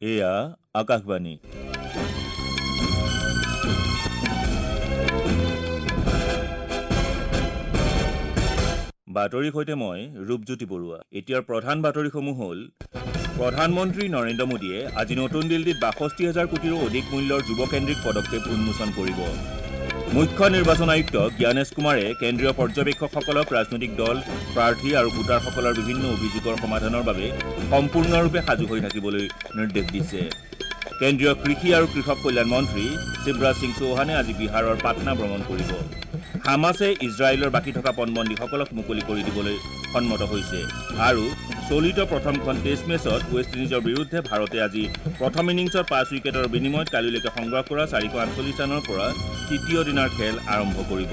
এয়া আকাশবাণী। বাতৰিৰ সৈতে মই ৰূপজ্যোতি বৰুৱা। এতিয়াৰ প্ৰধান বাতৰিসমূহ হ'ল: প্ৰধানমন্ত্ৰী নৰেন্দ্ৰ মোদীয়ে আজি নতুন দিল্লীত ৬২ হাজাৰ কোটিৰো অধিক মূল্যৰ যুৱকেন্দ্ৰিক পদক্ষেপ উন্মোচন কৰিব। মুখ্য নিৰ্বাচন আয়ুক্ত জ্ঞানেশ কুমাৰে কেন্দ্ৰীয় পৰ্যবেক্ষকসকলক ৰাজনৈতিক দল, প্ৰাৰ্থী আৰু ভোটাৰসকলৰ বিভিন্ন অভিযোগৰ সমাধানৰ বাবে সম্পূৰ্ণৰূপে সাজু হৈ থাকিবলৈ নিৰ্দেশ দিছে। কেন্দ্ৰীয় কৃষি আৰু কৃষক কল্যাণ মন্ত্ৰী শিৱৰাজ সিং চৌহানে আজি বিহাৰৰ পাটনা ভ্ৰমণ কৰিব। হামাছে ইজৰাইলৰ বাকী থকা পণবন্দীসকলক মুকলি কৰি দিবলৈ সন্মত হৈছে। আৰু চলিত প্ৰথমখন টেষ্ট মেচত ৱেষ্ট ইণ্ডিজৰ বিৰুদ্ধে ভাৰতে আজি প্ৰথম ইনিংছত ৫ উইকেটৰ বিনিময়ত কালিলৈকে সংগ্ৰহ কৰা ৪৪৮ ৰানৰ পৰা তৃতীয় দিনাৰ খেল আৰম্ভ কৰিব।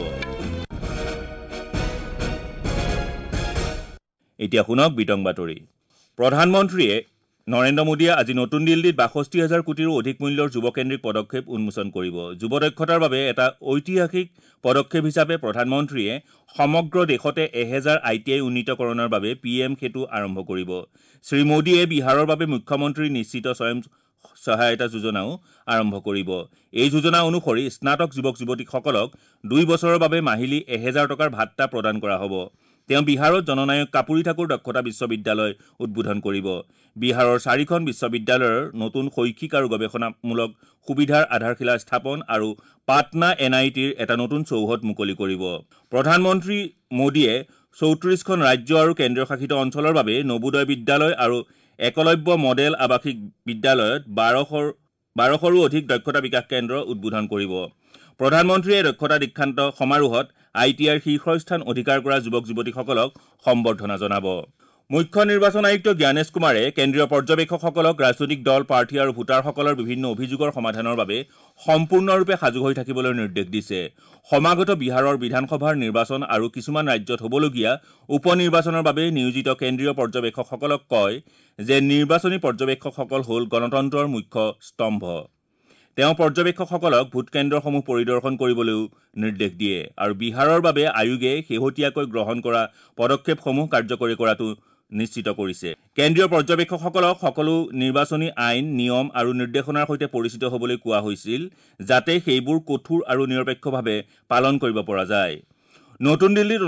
এতিয়া শুনক বিতং বাতৰি। প্ৰধানমন্ত্ৰীয়ে নৰেন্দ্ৰ মোদীয়ে আজি নতুন দিল্লীত ৬২ হাজাৰ কোটিৰো অধিক মূল্যৰ যুৱকেন্দ্ৰিক পদক্ষেপ উন্মোচন কৰিব। যুৱ দক্ষতাৰ বাবে এটা ঐতিহাসিক পদক্ষেপ হিচাপে প্ৰধানমন্ত্ৰীয়ে সমগ্ৰ দেশতে ১০০০ I T I উন্নীতকৰণৰ বাবে পি এম সেতু আৰম্ভ কৰিব। শ্ৰীমোদীয়ে বিহাৰৰ বাবে মুখ্যমন্ত্ৰীৰ নিশ্চিত স্বয়ং সহায়তা যোজনাও আৰম্ভ কৰিব। এই যোজনা অনুসৰি স্নাতক যুৱক যুৱতীসকলক ২ বছৰৰ বাবে মাহিলী ১০০০ টকাৰ ভাট্টা প্ৰদান কৰা হ'ব। তেওঁ বিহাৰত জননায়ক কাপুৰী ঠাকুৰ দক্ষতা বিশ্ববিদ্যালয় উদ্বোধন কৰিব। বিহাৰৰ চাৰিখন বিশ্ববিদ্যালয়ৰ নতুন শৈক্ষিক আৰু গৱেষণামূলক সুবিধাৰ আধাৰশিলা স্থাপন আৰু পাটনা এন আই টিৰ এটা নতুন চৌহদ মুকলি কৰিব। প্ৰধানমন্ত্ৰী মোদীয়ে ৩৪খন ৰাজ্য আৰু কেন্দ্ৰীয় শাসিত অঞ্চলৰ বাবে নবোদয় বিদ্যালয় আৰু একলব্য মডেল আৱাসিক বিদ্যালয়ত ১২০০ৰো অধিক দক্ষতা বিকাশ কেন্দ্ৰ উদ্বোধন কৰিব। প্ৰধানমন্ত্ৰীয়ে দক্ষতা দীক্ষান্ত সমাৰোহত I T আইৰ শীৰ্ষস্থান অধিকাৰ কৰা যুৱক যুৱতীসকলক সম্বৰ্ধনা জনাব। মুখ্য নিৰ্বাচন আয়ুক্ত জ্ঞানেশ কুমাৰে কেন্দ্ৰীয় পৰ্যবেক্ষকসকলক ৰাজনৈতিক দল, প্ৰাৰ্থী আৰু ভোটাৰসকলৰ বিভিন্ন অভিযোগৰ সমাধানৰ বাবে সম্পূৰ্ণৰূপে সাজু হৈ থাকিবলৈ নিৰ্দেশ দিছে। সমাগত বিহাৰৰ বিধানসভাৰ নিৰ্বাচন আৰু কিছুমান ৰাজ্যত হ'বলগীয়া উপ নিৰ্বাচনৰ বাবে নিয়োজিত কেন্দ্ৰীয় পৰ্যবেক্ষকসকলক কয় যে নিৰ্বাচনী পৰ্যবেক্ষকসকল হ'ল গণতন্ত্ৰৰ মুখ্য স্তম্ভ। তেওঁ পৰ্যবেক্ষকসকলক ভোটকেন্দ্ৰসমূহ পৰিদৰ্শন কৰিবলৈও নিৰ্দেশ দিয়ে আৰু বিহাৰৰ বাবে আয়োগে শেহতীয়াকৈ গ্ৰহণ কৰা পদক্ষেপসমূহ কাৰ্যকৰী কৰাটো নিশ্চিত কৰিছে। কেন্দ্ৰীয় পৰ্যবেক্ষকসকলক সকলো নিৰ্বাচনী আইন, নিয়ম আৰু নিৰ্দেশনাৰ সৈতে পৰিচিত হ'বলৈ কোৱা হৈছিল, যাতে সেইবোৰ কঠোৰ আৰু নিৰপেক্ষভাৱে পালন কৰিব পৰা যায়। নতুন দিল্লীত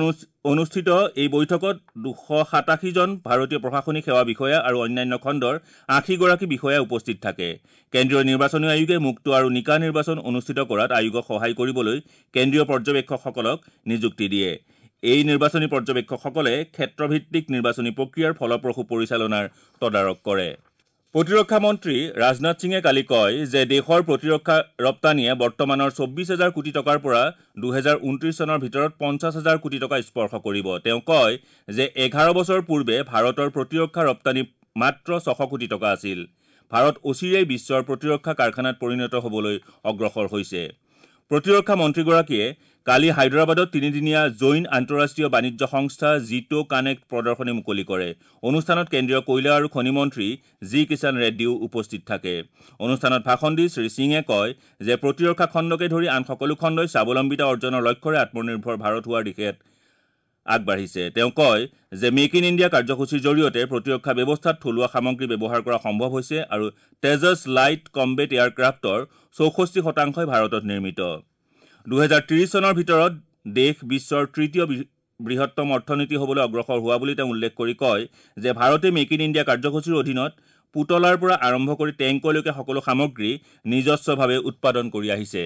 অনুষ্ঠিত এই বৈঠকত ২৮৭জন ভাৰতীয় প্ৰশাসনিক সেৱা বিষয়া আৰু অন্যান্য খণ্ডৰ ৮০গৰাকী বিষয়া উপস্থিত থাকে। কেন্দ্ৰীয় নিৰ্বাচনী আয়োগে মুক্ত আৰু নিকা নিৰ্বাচন অনুষ্ঠিত কৰাত আয়োগক সহায় কৰিবলৈ কেন্দ্ৰীয় পৰ্যবেক্ষকসকলক নিযুক্তি দিয়ে। এই নিৰ্বাচনী পৰ্যবেক্ষকসকলে ক্ষেত্ৰভিত্তিক নিৰ্বাচনী প্ৰক্ৰিয়াৰ ফলপ্ৰসূ পৰিচালনাৰ তদাৰক কৰে। প্ৰতিৰক্ষা মন্ত্ৰী ৰাজনাথ সিঙে কালি কয় যে দেশৰ প্ৰতিৰক্ষা ৰপ্তানিয়ে বৰ্তমানৰ ২৪ হাজাৰ কোটি টকাৰ পৰা ২০২৯ চনৰ ভিতৰত ৫০ হাজাৰ কোটি টকা স্পৰ্শ কৰিব। তেওঁ কয় যে ১১ বছৰ পূৰ্বে ভাৰতৰ প্ৰতিৰক্ষা ৰপ্তানি মাত্ৰ ৬০০ কোটি টকা আছিল। ভাৰত অচিৰেই বিশ্বৰ প্ৰতিৰক্ষা কাৰখানাত পৰিণত হ'বলৈ অগ্ৰসৰ হৈছে। প্ৰতিৰক্ষা মন্ত্ৰীগৰাকীয়ে কালি হায়দৰাবাদত তিনিদিনীয়া জৈন আন্তঃৰাষ্ট্ৰীয় বাণিজ্য সংস্থা জিটো কানেক্ট প্ৰদৰ্শনী মুকলি কৰে। অনুষ্ঠানত কেন্দ্ৰীয় কয়লা আৰু খনি মন্ত্ৰী জি কিষাণ ৰেড্ডীও উপস্থিত থাকে। অনুষ্ঠানত ভাষণ দি শ্ৰীসিঙে কয় যে প্ৰতিৰক্ষা খণ্ডকে ধৰি আন সকলো খণ্ডই স্বাৱলম্বিতা অৰ্জনৰ লক্ষ্যৰে আত্মনিৰ্ভৰ ভাৰত হোৱাৰ দিশে আগবাঢ়িছে। তেওঁ কয় যে মেক ইন ইণ্ডিয়া কাৰ্যসূচীৰ জৰিয়তে প্ৰতিৰক্ষা ব্যৱস্থাত থলুৱা সামগ্ৰী ব্যৱহাৰ কৰা সম্ভৱ হৈছে আৰু তেজছ লাইট কম্বেট এয়াৰক্ৰাফ্টৰ ৬৪ শতাংশই ভাৰতত নিৰ্মিত। ২০৩০ চনৰ ভিতৰত দেশ বিশ্বৰ তৃতীয় বৃহত্তম অৰ্থনীতি হ'বলৈ অগ্ৰসৰ হোৱা বুলি তেওঁ উল্লেখ কৰি কয় যে ভাৰতে মেক ইন ইণ্ডিয়া কাৰ্যসূচীৰ অধীনত পুতলাৰ পৰা আৰম্ভ কৰি টেংকলৈকে সকলো সামগ্ৰী নিজস্বভাৱে উৎপাদন কৰি আহিছে।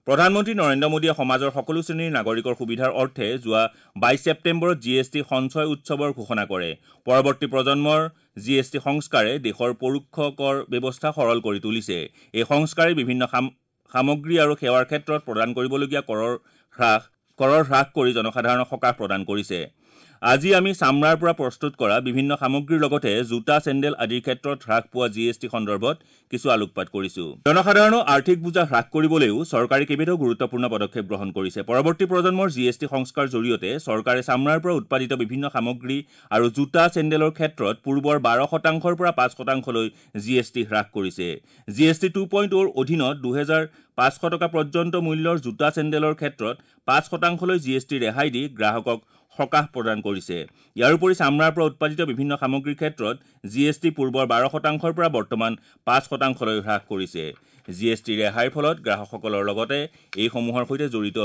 প্ৰধানমন্ত্ৰী নৰেন্দ্ৰ মোদীয়ে সমাজৰ সকলো শ্ৰেণীৰ নাগৰিকৰ সুবিধাৰ অৰ্থে যোৱা ২২ ছেপ্টেম্বৰত জি এছ টি সঞ্চয় উৎসৱৰ ঘোষণা কৰে। পৰৱৰ্তী প্ৰজন্মৰ জি এছ টি সংস্কাৰে দেশৰ পৰোক্ষ কৰ ব্যৱস্থা সৰল কৰি তুলিছে। এই সংস্কাৰে বিভিন্ন সামগ্ৰী আৰু সেৱাৰ ক্ষেত্ৰত প্ৰদান কৰিবলগীয়া কৰৰ হ্ৰাস কৰি জনসাধাৰণক সকাহ প্ৰদান কৰিছে। আজি আমি চামৰাৰ পৰা প্ৰস্তুত কৰা বিভিন্ন সামগ্ৰীৰ লগতে জোতা, চেণ্ডেল আদিৰ ক্ষেত্ৰত হ্ৰাস পোৱা জি এছ টি সন্দৰ্ভত কিছু আলোকপাত কৰিছো। জনসাধাৰণৰ আৰ্থিক বোজা হ্ৰাস কৰিবলৈও চৰকাৰে কেইবাটাও গুৰুত্বপূৰ্ণ পদক্ষেপ গ্ৰহণ কৰিছে। পৰৱৰ্তী প্ৰজন্মৰ জি এছ টি সংস্কাৰ জৰিয়তে চৰকাৰে চামৰাৰ পৰা উৎপাদিত বিভিন্ন সামগ্ৰী আৰু জোতা, চেণ্ডেলৰ ক্ষেত্ৰত পূৰ্বৰ ১২ শতাংশৰ পৰা ৫ শতাংশলৈ জি এছ টি হ্ৰাস কৰিছে। জি এছ টি ২.০ৰ অধীনত ২৫০০ টকা পৰ্যন্ত মূল্যৰ জোতা, চেণ্ডেলৰ ক্ষেত্ৰত ৫ শতাংশলৈ জি এছ টি ৰেহাই দি গ্ৰাহকক সকাহ প্ৰদান কৰিছে। ইয়াৰ উপৰি চামৰাৰ পৰা উৎপাদিত বিভিন্ন সামগ্ৰীৰ ক্ষেত্ৰত জি এছ টি পূৰ্বৰ 12 শতাংশৰ পৰা বৰ্তমান 5 শতাংশলৈ হ্ৰাস কৰিছে। জি এছ টি ৰেহাইৰ ফলত গ্ৰাহকসকলৰ লগতে এইসমূহৰ সৈতে জড়িত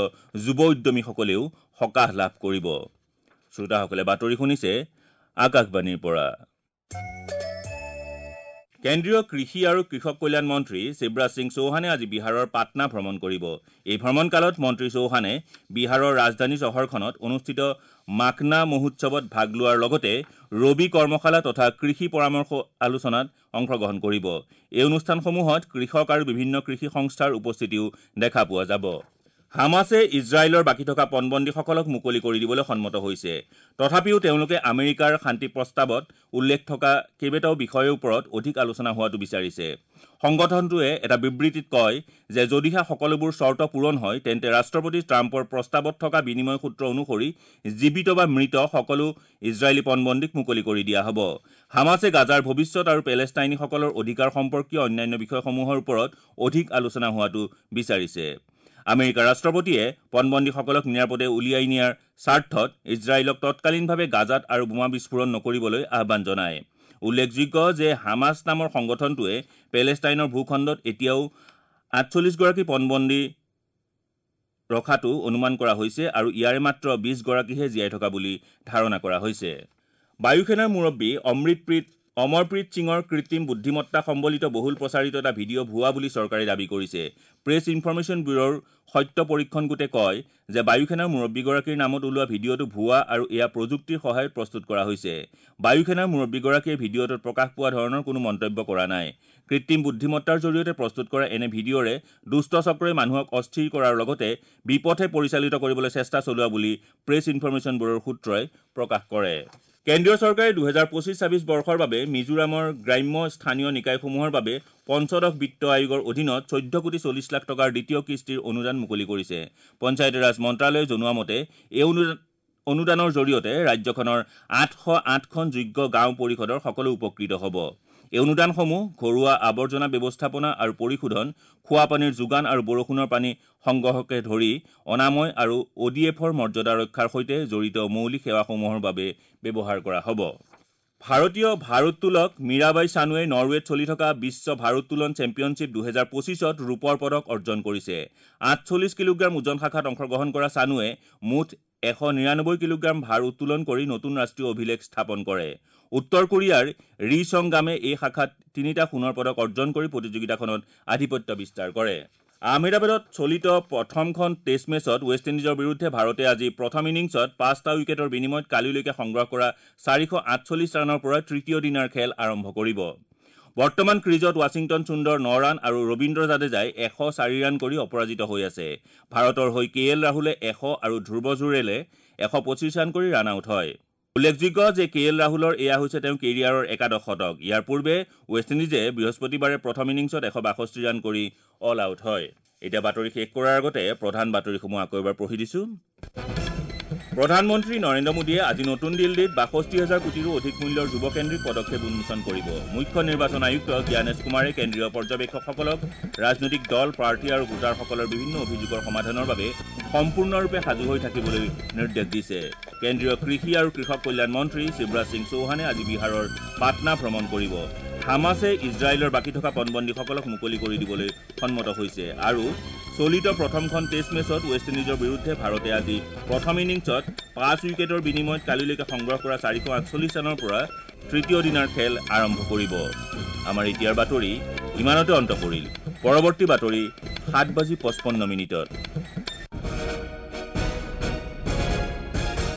যুৱ উদ্যমীসকলেও সকাহ লাভ কৰিব। শ্ৰোতাসকলে বাতৰি শুনিছে আকাশবাণীৰ পৰা। কেন্দ্ৰীয় কৃষি আৰু কৃষক কল্যাণ মন্ত্ৰী শিৱৰাজ সিং চৌহানে আজি বিহাৰৰ পাটনা ভ্ৰমণ কৰিব। এই ভ্ৰমণকালত মন্ত্ৰী চৌহানে বিহাৰৰ ৰাজধানী চহৰখনত অনুষ্ঠিত মাখনা মহোৎসৱত ভাগ লোৱাৰ লগতে ৰবি কৰ্মশালা তথা কৃষি পৰামৰ্শ আলোচনাত অংশগ্ৰহণ কৰিব। এই অনুষ্ঠানসমূহত কৃষক আৰু বিভিন্ন কৃষি সংস্থাৰ উপস্থিতিও দেখা পোৱা যাব। হামাছে ইজৰাইলৰ বাকী থকা পণবন্দীসকলক মুকলি কৰি দিবলৈ সন্মত হৈছে। তথাপিও তেওঁলোকে আমেৰিকাৰ শান্তি প্ৰস্তাৱত উল্লেখ থকা কেইবাটাও বিষয়ৰ ওপৰত অধিক আলোচনা হোৱাটো বিচাৰিছে। সংগঠনটোৱে এটা বিবৃতিত কয় যে যদিহে সকলোবোৰ চৰ্ত পূৰণ হয়, তেন্তে ৰাষ্ট্ৰপতি ট্ৰাম্পৰ প্ৰস্তাৱত থকা বিনিময় সূত্ৰ অনুসৰি জীৱিত বা মৃত সকলো ইজৰাইলী পণবন্দীক মুকলি কৰি দিয়া হ'ব। হামাছে গাজাৰ ভৱিষ্যত আৰু পেলেষ্টাইনীসকলৰ অধিকাৰ সম্পৰ্কীয় অন্যান্য বিষয়সমূহৰ ওপৰত অধিক আলোচনা হোৱাটো বিচাৰিছে। আমেৰিকাৰ ৰাষ্ট্ৰপতিয়ে পণবন্দীসকলক নিৰাপদে উলিয়াই নিয়াৰ স্বাৰ্থত ইজৰাইলক তৎকালীনভাৱে গাজাত আৰু বোমা বিস্ফোৰণ নকৰিবলৈ আহ্বান জনায়। উল্লেখযোগ্য যে হামাছ নামৰ সংগঠনটোৱে পেলেষ্টাইনৰ ভূখণ্ডত এতিয়াও 48গৰাকী পণবন্দী ৰখাটো অনুমান কৰা হৈছে আৰু ইয়াৰে মাত্ৰ 20গৰাকীহে জীয়াই থকা বুলি ধাৰণা কৰা হৈছে। বায়ুসেনাৰ মুৰব্বী অমৰপ্ৰীত সিঙৰ কৃত্ৰিম বুদ্ধিমত্তা সম্বলিত বহুল প্ৰচাৰিত এটা ভিডিঅ' ভুৱা বুলি চৰকাৰে দাবী কৰিছে। প্ৰেছ ইনফৰমেশ্যন ব্যুৰোৰ সত্য পৰীক্ষণ গোটে কয় যে বায়ুসেনাৰ মুৰব্বীগৰাকীৰ নামত ওলোৱা ভিডিঅ'টো ভুৱা আৰু এয়া প্ৰযুক্তিৰ সহায়ত প্ৰস্তুত কৰা হৈছে। বায়ুসেনাৰ মুৰব্বীগৰাকীয়ে ভিডিঅ'টোত প্ৰকাশ পোৱা ধৰণৰ কোনো মন্তব্য কৰা নাই। কৃত্ৰিম বুদ্ধিমত্তাৰ জৰিয়তে প্ৰস্তুত কৰা এনে ভিডিঅ'ৰে দুষ্ট চক্ৰই মানুহক অস্থিৰ কৰাৰ লগতে বিপথে পৰিচালিত কৰিবলৈ চেষ্টা চলোৱা বুলি প্ৰেছ ইনফৰমেশ্যন ব্যুৰোৰ সূত্ৰই প্ৰকাশ কৰে। কেন্দ্ৰীয় চৰকাৰে 2025-26 বৰ্ষৰ বাবে মিজোৰামৰ গ্ৰাম্য স্থানীয় নিকায়সমূহৰ বাবে পঞ্চদশ বিত্ত আয়োগৰ অধীনত 14 কোটি 40 লাখ টকাৰ দ্বিতীয় কিস্তিৰ অনুদান মুকলি কৰিছে। পঞ্চায়তীৰাজ মন্ত্ৰালয়ে জনোৱা মতে এই অনুদানৰ জৰিয়তে ৰাজ্যখনৰ 808খন যোগ্য গাঁও পৰিষদৰ সকলো উপকৃত হ'ব। এই অনুদানসমূহ ঘৰুৱা আৱৰ্জনা ব্যৱস্থাপনা আৰু পৰিশোধন, খোৱা পানীৰ যোগান আৰু বৰষুণৰ পানী সংগ্ৰহকে ধৰি অনাময় আৰু অ' ডি এফৰ মৰ্যাদা ৰক্ষাৰ সৈতে জড়িত মৌলিক সেৱাসমূহৰ বাবে ব্যৱহাৰ কৰা হ'ব। ভাৰতীয় ভাৰোত্তোলক মীৰাবাই চানুৱে নৰৱেত চলি থকা বিশ্ব ভাৰোত্তোলন চেম্পিয়নশ্বিপ 2025ত ৰূপৰ পদক অৰ্জন কৰিছে। 48 কিলোগ্ৰাম ওজন শাখাত অংশগ্ৰহণ কৰা চানুৱে মুঠ 199 কিলোগ্ৰাম ভাৰ উত্তোলন কৰি নতুন ৰাষ্ট্ৰীয় অভিলেখ স্থাপন কৰে। উত্তৰ কোৰিয়াৰ ৰি চং গামে এই শাখাত তিনিটা সোণৰ পদক অৰ্জন কৰি প্ৰতিযোগিতাখনত আধিপত্য বিস্তাৰ কৰে। আহমেদাবাদত চলিত প্ৰথমখন টেষ্ট মেচত ৱেষ্ট ইণ্ডিজৰ বিৰুদ্ধে ভাৰতে আজি প্ৰথম ইনিংছত পাঁচটা উইকেটৰ বিনিময়ত কালিলৈকে সংগ্ৰহ কৰা 448 ৰানৰ পৰা তৃতীয় দিনাৰ খেল আৰম্ভ কৰিব। বৰ্তমান ক্ৰীজত ৱাশ্বিংটন সুন্দৰ ন ৰান আৰু ৰবীন্দ্ৰ জাদেজাই 104 ৰান কৰি অপৰাজিত হৈ আছে। ভাৰতৰ হৈ কে এল ৰাহুলে 100 আৰু ধ্ৰুৱ জুৰেলে 125 ৰান কৰি ৰান আউট হয়। উল্লেখযোগ্য যে কে এল ৰাহুলৰ এয়া হৈছে তেওঁৰ কেৰিয়াৰৰ একাদশ শতক। ইয়াৰ পূৰ্বে ৱেষ্ট ইণ্ডিজে বৃহস্পতিবাৰে প্ৰথম ইনিংছত 162 ৰান কৰি অল আউট হয়। এতিয়া বাতৰি শেষ কৰাৰ আগতে প্ৰধান বাতৰিসমূহ আকৌ এবাৰ পঢ়ি দিছোঁ। প্ৰধানমন্ত্ৰী নৰেন্দ্ৰ মোদীয়ে আজি নতুন দিল্লীত 62 হাজাৰ কোটিৰো অধিক মূল্যৰ যুৱকেন্দ্ৰিক পদক্ষেপ উন্মোচন কৰিব। মুখ্য নিৰ্বাচন আয়ুক্ত জ্ঞানেশ কুমাৰে কেন্দ্ৰীয় পৰ্যবেক্ষকসকলক ৰাজনৈতিক দল, প্ৰাৰ্থী আৰু ভোটাৰসকলৰ বিভিন্ন অভিযোগৰ সমাধানৰ বাবে সম্পূৰ্ণৰূপে সাজু হৈ থাকিবলৈ নিৰ্দেশ দিছে। কেন্দ্ৰীয় কৃষি আৰু কৃষক কল্যাণ মন্ত্ৰী শিৱৰাজ সিং চৌহানে আজি বিহাৰৰ পাটনা ভ্ৰমণ কৰিব। হামাছে ইজৰাইলৰ বাকী থকা পণবন্দীসকলক মুকলি কৰি দিবলৈ সন্মত হৈছে। আৰু চলিত প্ৰথমখন টেষ্ট মেচত ৱেষ্ট ইণ্ডিজৰ বিৰুদ্ধে ভাৰতে আজি প্ৰথম ইনিংছত 5 উইকেটৰ বিনিময়ত কালিলৈকে সংগ্ৰহ কৰা 448 ৰানৰ পৰা তৃতীয় দিনাৰ খেল আৰম্ভ কৰিব। আমাৰ এতিয়াৰ বাতৰি ইমানতে অন্ত পৰিল। পৰৱৰ্তী বাতৰি 7 বাজি 55 মিনিটত।